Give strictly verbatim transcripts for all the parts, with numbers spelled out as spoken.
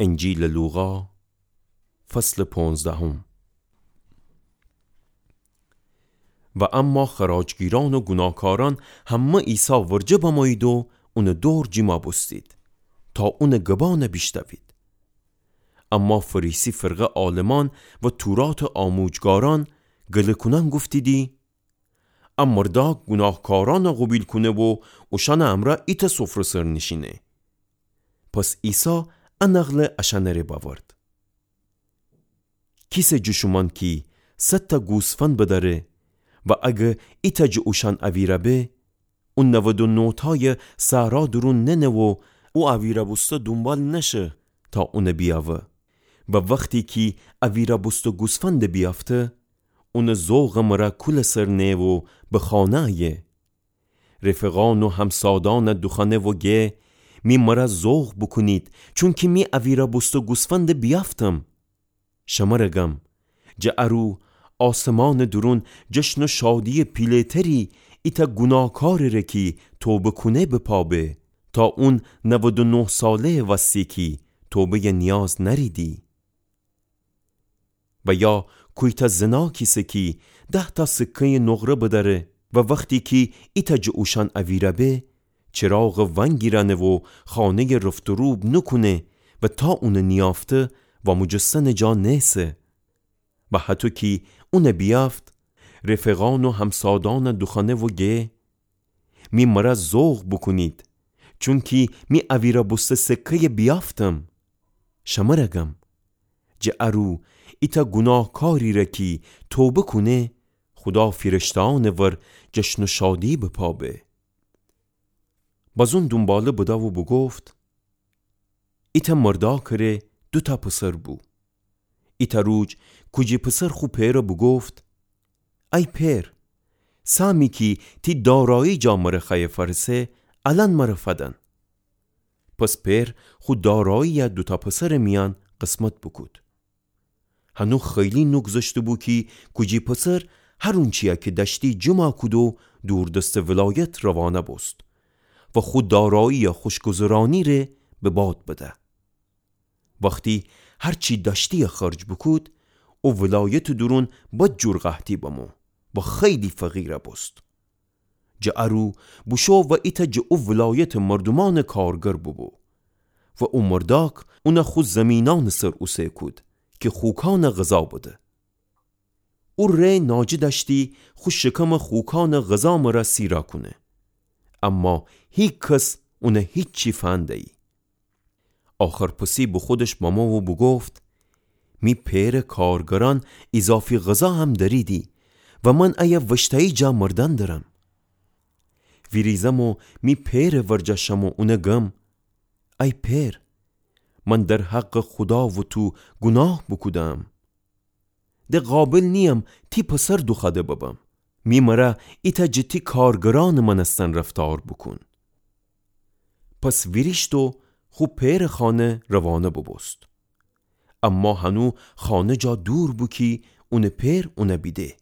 انجیلٚ لوقا، فصلٚ پونزدهم. و اما خراجگیرأن و گوناهکارأن همه عیسی ورجه بمویید و اونٚ دور جیما بوستید، تا اونٚ گبأن بیشتوید. اما فریسی فرقه عالمأن و توراتٚ آموجگارأن گله‌کونأن گفتیدی: ا مردأک گوناهکارأن قوبیل کونه و اوشأنٚ امرأ ایتأ سفره سر نیشینه. پس عیسی ا نقله اشأنٚ ره بأورد: کیسه جٚه شومأن کی صدتأ گوسفند بدأره و اگر ایتأ جٚه اوشأن اویرَ به، او نود و نه‌تأیَ صحرا دورون ننه و او اویرَ بوسته دونبال نشه تا اونَ بیأوه. و وختی کی اویرَ بوسته گوسفندَ بیأفته، اونٚ ذوقٚ مرأ کولٚ سر نه و به خانه أیه. رفیقأن و همسادأنَ دوخوأنه و گه: می مرأ ذوق بوکونید، چونکی می اویرَ بوسته گوسفندَ بیأفتم. شمرَ گم، جٚه ارو آسمانٚ دورون جشن و شادییٚ پیله‌تری ایتأ گوناهکارٚ ره کی توبه کونه به پا به، تا اون نود و نه ساله‌یٚ وستی کی توبه‌یٚ نیاز نأریدی. و یا کویتأ زنا کیسه کی ده‌تأ سکه‌یٚ نقره بدأره و وختی کی ایتأ جٚه اوشأن اویرَ به، چراغَ ونگیرأنه و خانه‌یَ رفت و روب نوکونه و تا اونَ نیأفته واموجستنٚ جا نیسه. و هطو کی اونَ بیأفت، رفیقأن و همسادأنَ دوخوأنه و گه: می مرأ ذوق بوکونید، چونکی می اویرَ بوسته سکه‌یَ بیأفتم. شمرَ گم، جٚه ارو ایتأ گوناهکاری ره کی توبه کونه، خودا فیرشته‌أنٚ ور جشن و شادی به پا به. بازون دونباله بده و بوگفت: ایتأ مردأکٚ ره دوتأ پسر بو. ایتأ روج کوجی پسر خو پئرَ بوگفت: ای پئر، سهمی کی تی دارایی جا مرَ خوأیه فأرسه، الأن مرَ فدن. پس پئر خو داراییَ دوتأ پسرٚ میأن قسمت بوکود. هنو خیلی نوگذشته بو کی کوجی پسر هر اونچیَ کی دأشتی جمع کود و دوردستٚ ولایت روانه بوست و خو داراییَ خوشگذرأنی ره به باد بده. وختی هر چی دأشتی‌یَ خرج بوکود، او ولایتٚ دورون بد جور قحطی بمو و خیلی فقیر بوست. جٚه ارو بوشو و ایتأ جٚه او ولایتٚ مردومأنٚ کارگر بوبو و او مردأک اونَ خو زیمینأنٚ سر اوسه کود کی خوکأنَ غذا بده. او ره ناجه دأشتی خو شکمَ خوکأنٚ غذا مرأ سیرَ کونه. اما هیکس اونَ هیچی فنده‌یی. آخرپسی به خودش بمو و بوگفت: می پئرٚ کارگرأن ایضافی غذا هم دأریدی و من ایه وشته‌یی جا مردن درم. ویریزم و می پئرٚ ورجه شم و اونَ گم: ای پئر، من در حقٚ خودا و تو گوناه بوکودم. د قابل نییم تی پسر دوخوأده ببم. می مرأ ایتأ جٚه تی کارگرأنٚ مأنستن رفتار بوکون. پس ویریشت و خو پئرٚ خانه روانه بوبوست. اما هنو خانه جا دور بو کی اونٚ پئر اونَ بیده.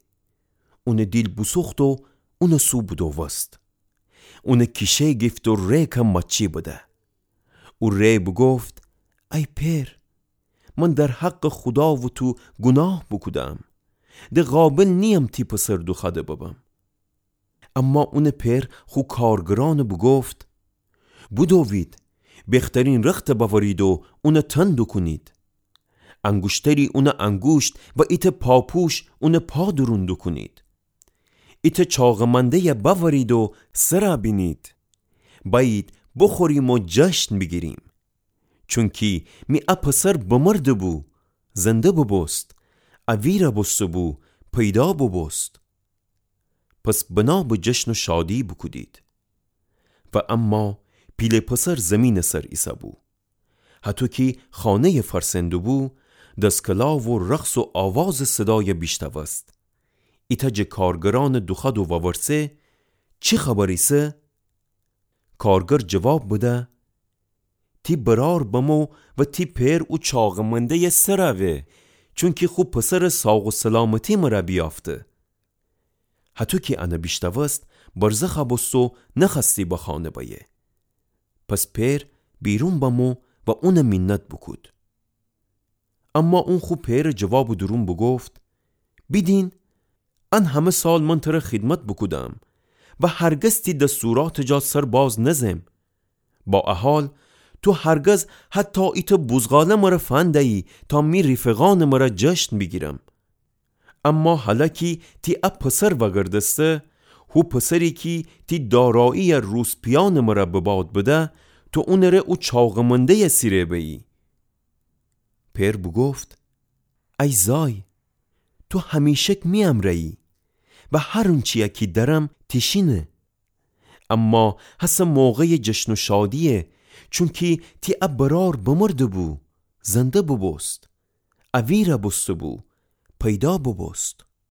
اونٚ دیل بوسوخت و اونٚ سو بودووست. اونٚ کیشه گیفت و ره که مچی بده. او ره بوگفت: ای پئر، من در حقٚ خودا و تو گوناه بوکودم. د قابل نییم تی پسر دوخوأده ببم. اما اونٚ پئر خو کارگرأنَ بوگفت: بودوید، بخترین رختَ بأورید و اونَ تن دوکونید. انگوشتری اونٚ انگوشت و ایتأ پاپوش اونٚ پا دورون دوکونید. ایتأ چاقٚ منده‌یَ بأورید و سرَ بینید. بأیید بوخوریم و جشن بیگیریم. چونکی می ا پسر بمرده بو، زنده بوبوست، اویرَ بوسته بو، پیدا بوبوست. پس بنا به جشن و شادی بوکودید. و اما پیله پسر زیمینٚ سر ایسه بو. هطو کی خانه‌یَ فرسنده‌بو، دسکلا و رقص و آوازٚ صدایَ بیشتوست. ایتأ جٚه کارگرأنَ دوخوأد و وورسه: چی خبر ایسه؟ کارگر جواب بده: تی برأر بمو و تی پئر او چاقٚ منده‌یَ سرَ وه، چونکی خو پسرٚ ساق و سلامتی مرَ بیأفته. هطو کی انَ بیشتوست، برزخَ بوست و نخوأستی به خانه بأیه. پس پئر بیرون بمو و اونَ مینت بوکود. اما اون خو پئرٚ جوابٚ دورون بوگفت: بیدین، ان همه سال من تره خیدمت بوکودم و هرگز تی دستوراتٚ جا سر باز نزم. با ا حال، تو هرگز حتی ایتأ بوزغاله مره فندیی تا می ریفقأنٚ مره جشن بیگیرم. اما هلأ کی تی ا پسر وأگردسته، هو پسری کی تی دارایی‌یَ روسپیأنٚ مره به باد بده، تو اونٚره او چاقٚ منده‌یَ سیره بیی. پئر بوگفت: ای زای، تو همیشک می امرأیی و هر اونچی‌یَ کی دأرم تیشینه. اما هسه موقعٚ جشن و شادییه، چونکی تی ا برأر بمرده‌بو، زنده بوبوست، اویرَ بوسته‌بو، پیدا بوبوست.